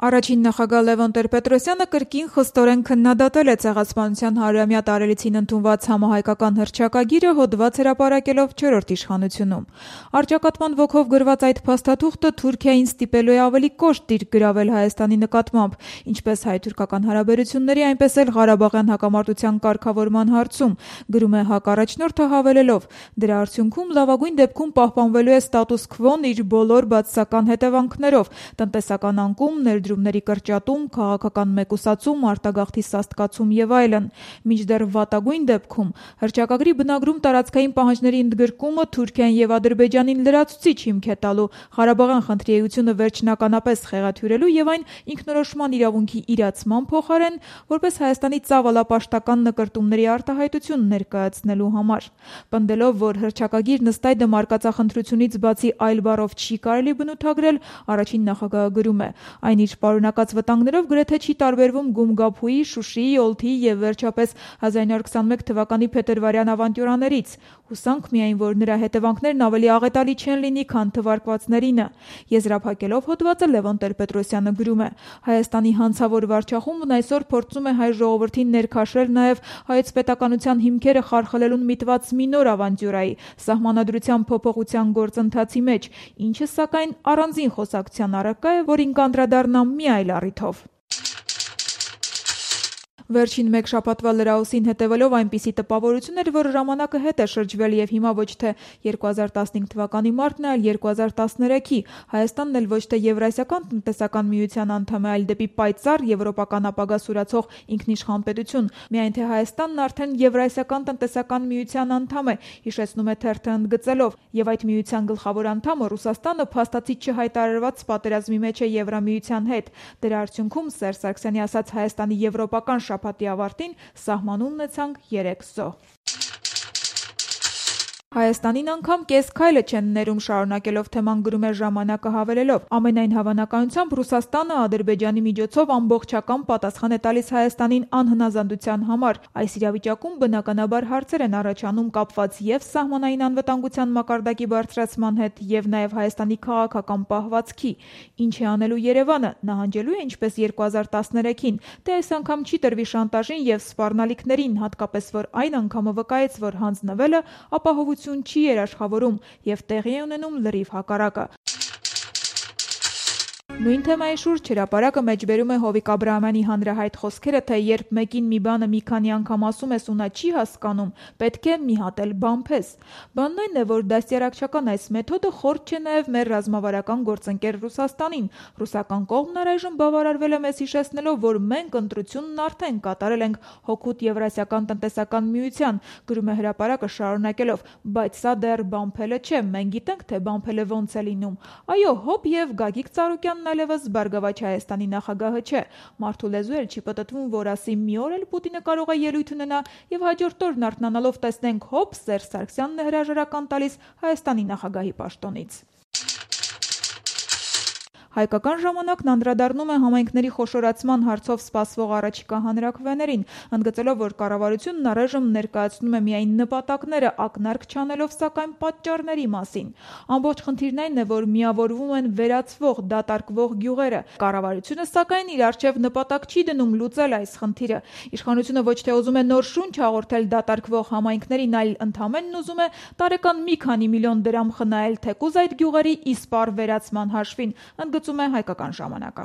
Առաջին նախագահ Լևոն Տեր-Պետրոսյանը կրկին խստորեն քննադատել է Ցեղասպանության 100-ամյա տարելիցին ընդունված համահայկական հռչակագիրը, հոդված հրապարակելով 4-րդ իշխանությունում։ Առճակատման ոգով գրված այդ փաստաթուղթը Թուրքիային ստիպելու է ավելի կոշտ դիրք գրավել Հայաստանի նկատմամբ, ինչպես հայ-թուրքական հարաբերությունների, այնպես էլ Ղարաբաղյան հակամարտության կարգավորման հարցում, գրում է ՀԱԿ առաջնորդը հավելելով. դրա արդյունքում լավագույն դեպքում պահպանվելու է ստատուս քվոն իր բոլոր բացասական հետևանքներով՝ տնտեսական անկում, ներդրումների կրճատում, քաղաքական մեկուսացում, արտագաղթի սաստկացում եւ այլն։ Մինչդեռ վատագույն դեպքում հռչակագրի բնագրում տարածքային պահանջների ընդգրկումը Թուրքիային եւ Ադրբեջանին լրացուցիչ հիմք է տալու Ղարաբաղյան խնդրի էությունը վերջնականապես խեղաթյուրելու եւ այն ինքնորոշման իրավունքի իրացման փոխարեն որպես Հայաստանի ծավալապաշտական նկրտումների արտահայտություն ներկայացնելու համար։ Պնդելով, որ հռչակագիրն ըստ այդմ արկածախնդրությունից բացի այլ բառով չի կարելի բնութագրել, առաջին նախագահը գրում է. այն իր պարունակած վտանգներով գրեթե չի տարբերվում Գումգափուի, Շուշիի, Օլթիի եւ վերջապես 1921 թվականի փետրվարյան ավանտյուրաներից։ Հուսանք միայն, որ նրա հետևանքներն ավելի աղետալի չեն լինի, քան թվարկվածներինը։ Եզրափակելով հոդվածը Լևոն Տեր-Պետրոսյանը գրում է. Հայաստանի հանցավոր վարչախումբն այսօր փորձում է հայ ժողովրդին ներքաշել նաեւ հայոց պետականության հիմքերը խարխլելուն միտված մի նոր ավանտյուրայի՝ սահմանադրության փոփոխության գործընթացի մեջ, ինչը սակայն առանձին խոսակցության առարկա է, որին կանդրադառնամ մի այլ առիթով։ Վերջին մեկ շաբաթվա լրահոսին հետևելով այնպիսի տպավորություն էր, որ ժամանակը հետ է շրջվել եւ հիմա ոչ թե 2015 թվականի մարտն է, այլ 2013-ի, Հայաստանն էլ ոչ թե Եվրասիական տնտեսական միության անդամ է, այլ դեպի պայծառ եվրոպական ապագա սուրացող ինքնիշխան պետություն, միայն թե Հայաստանն արդեն Եվրասիական տնտեսական միության անդամ է, հիշեցնում է թերթը ընդգծելով, եւ այդ միության գլխավոր անդամը Ռուսաստանը փաստացի չհայտարարված պատերազմի մեջ է Եվրամիության հետ։ Դրա արդյունքում Սերժ Սարգսյանի ասած Հայաստանի եվրոպական շաբաթի ավարտին սահմանում ունեցանք 3 զոհ։ Հայաստանին անգամ կես քայլը չեն ներում, շարունակելով թեման գրում է ժամանակը հավելելով. ամենայն հավանականությամբ Ռուսաստանը Ադրբեջանի միջոցով ամբողջական պատասխան է տալիս Հայաստանին անհնազանդության համար։ Այս իրավիճակում բնականաբար հարցեր են առաջանում կապված եւ սահմանային անվտանգության մակարդակի բարձրացման հետ եւ նաեւ Հայաստանի քաղաքական պահվածքի։ Ինչ է անելու Երևանը, նահանջելու է ինչպես 2013-ին, թե այս անգամ չի տրվի շանտաժին եւ սպառնալիքներին, հատկապես որ այն անգամը վկայեց, որ հանձնվելը ապահովություն չի երաշխավորում եւ տեղի է ունենում լրիվ հակառակը։ Նույն թեմայի շուրջ հրապարակը մեջբերում է Հովիկ Աբրահամյանի հանրահայտ խոսքերը, թե երբ մեկին մի բանը մի քանի անգամ ասում ես ու նա չի հասկանում, պետք է մի հատ էլ բամփես։ Բանն այն է, որ դաստիարակչական այս մեթոդը խորտ չէ նաեւ մեր ռազմավարական գործընկեր Ռուսաստանին։ Ռուսական կողմն առայժմ բավարարվել է մեզ հիշեցնելով, որ մենք ընտրությունն արդեն կատարել ենք հօգուտ Եվրասիական տնտեսական միության, գրում է հրապարակը շարունակելով, բայց սա դեռ բամփելը չէ, մենք գիտենք, թե բամփելը ոնց է լինում։ Այո, հոп եւ Գագիկ Ծառուկյանն այլևս Բարգավաճ Հայաստանի նախագահը չէ։ Մարդու լեզու էլ չի պտտվում, որ ասի մի օր էլ Պուտինը կարող է ելույթ ունենա եւ հաջորդ օրն արթնանալով տեսնենք հոп Սերժ Սարգսյանն է հրաժարական տալիս Հայաստանի նախագահի պաշտոնից։ Հայկական ժամանակն անդրադառնում է համայնքների խոշորացման հարցով սպասվող առաջիկա հանրաքվեներին, ընդգծելով, որ կառավարությունն առայժմ ներկայացնում է միայն նպատակները, ակնարկ չանելով սակայն պատճառների մասին։ Ամբողջ խնդիրն այն է, որ միավորվում են վերացվող, դատարկվող գյուղերը։ Կառավարությունը սակայն իր առջև նպատակ չի դնում լուծել այս խնդիրը։ Իշխանությունը ոչ թե ուզում է նոր շունչ հաղորդել դատարկվող համայնքներին, այլ ընդհանրապես ուզում է տարեկան մի քանի միլիոն դրամ խնայել թեկուզ այդ գյուղերի իսպառ վերացման հաշվին, ընդգծում է Հայկական ժամանակը։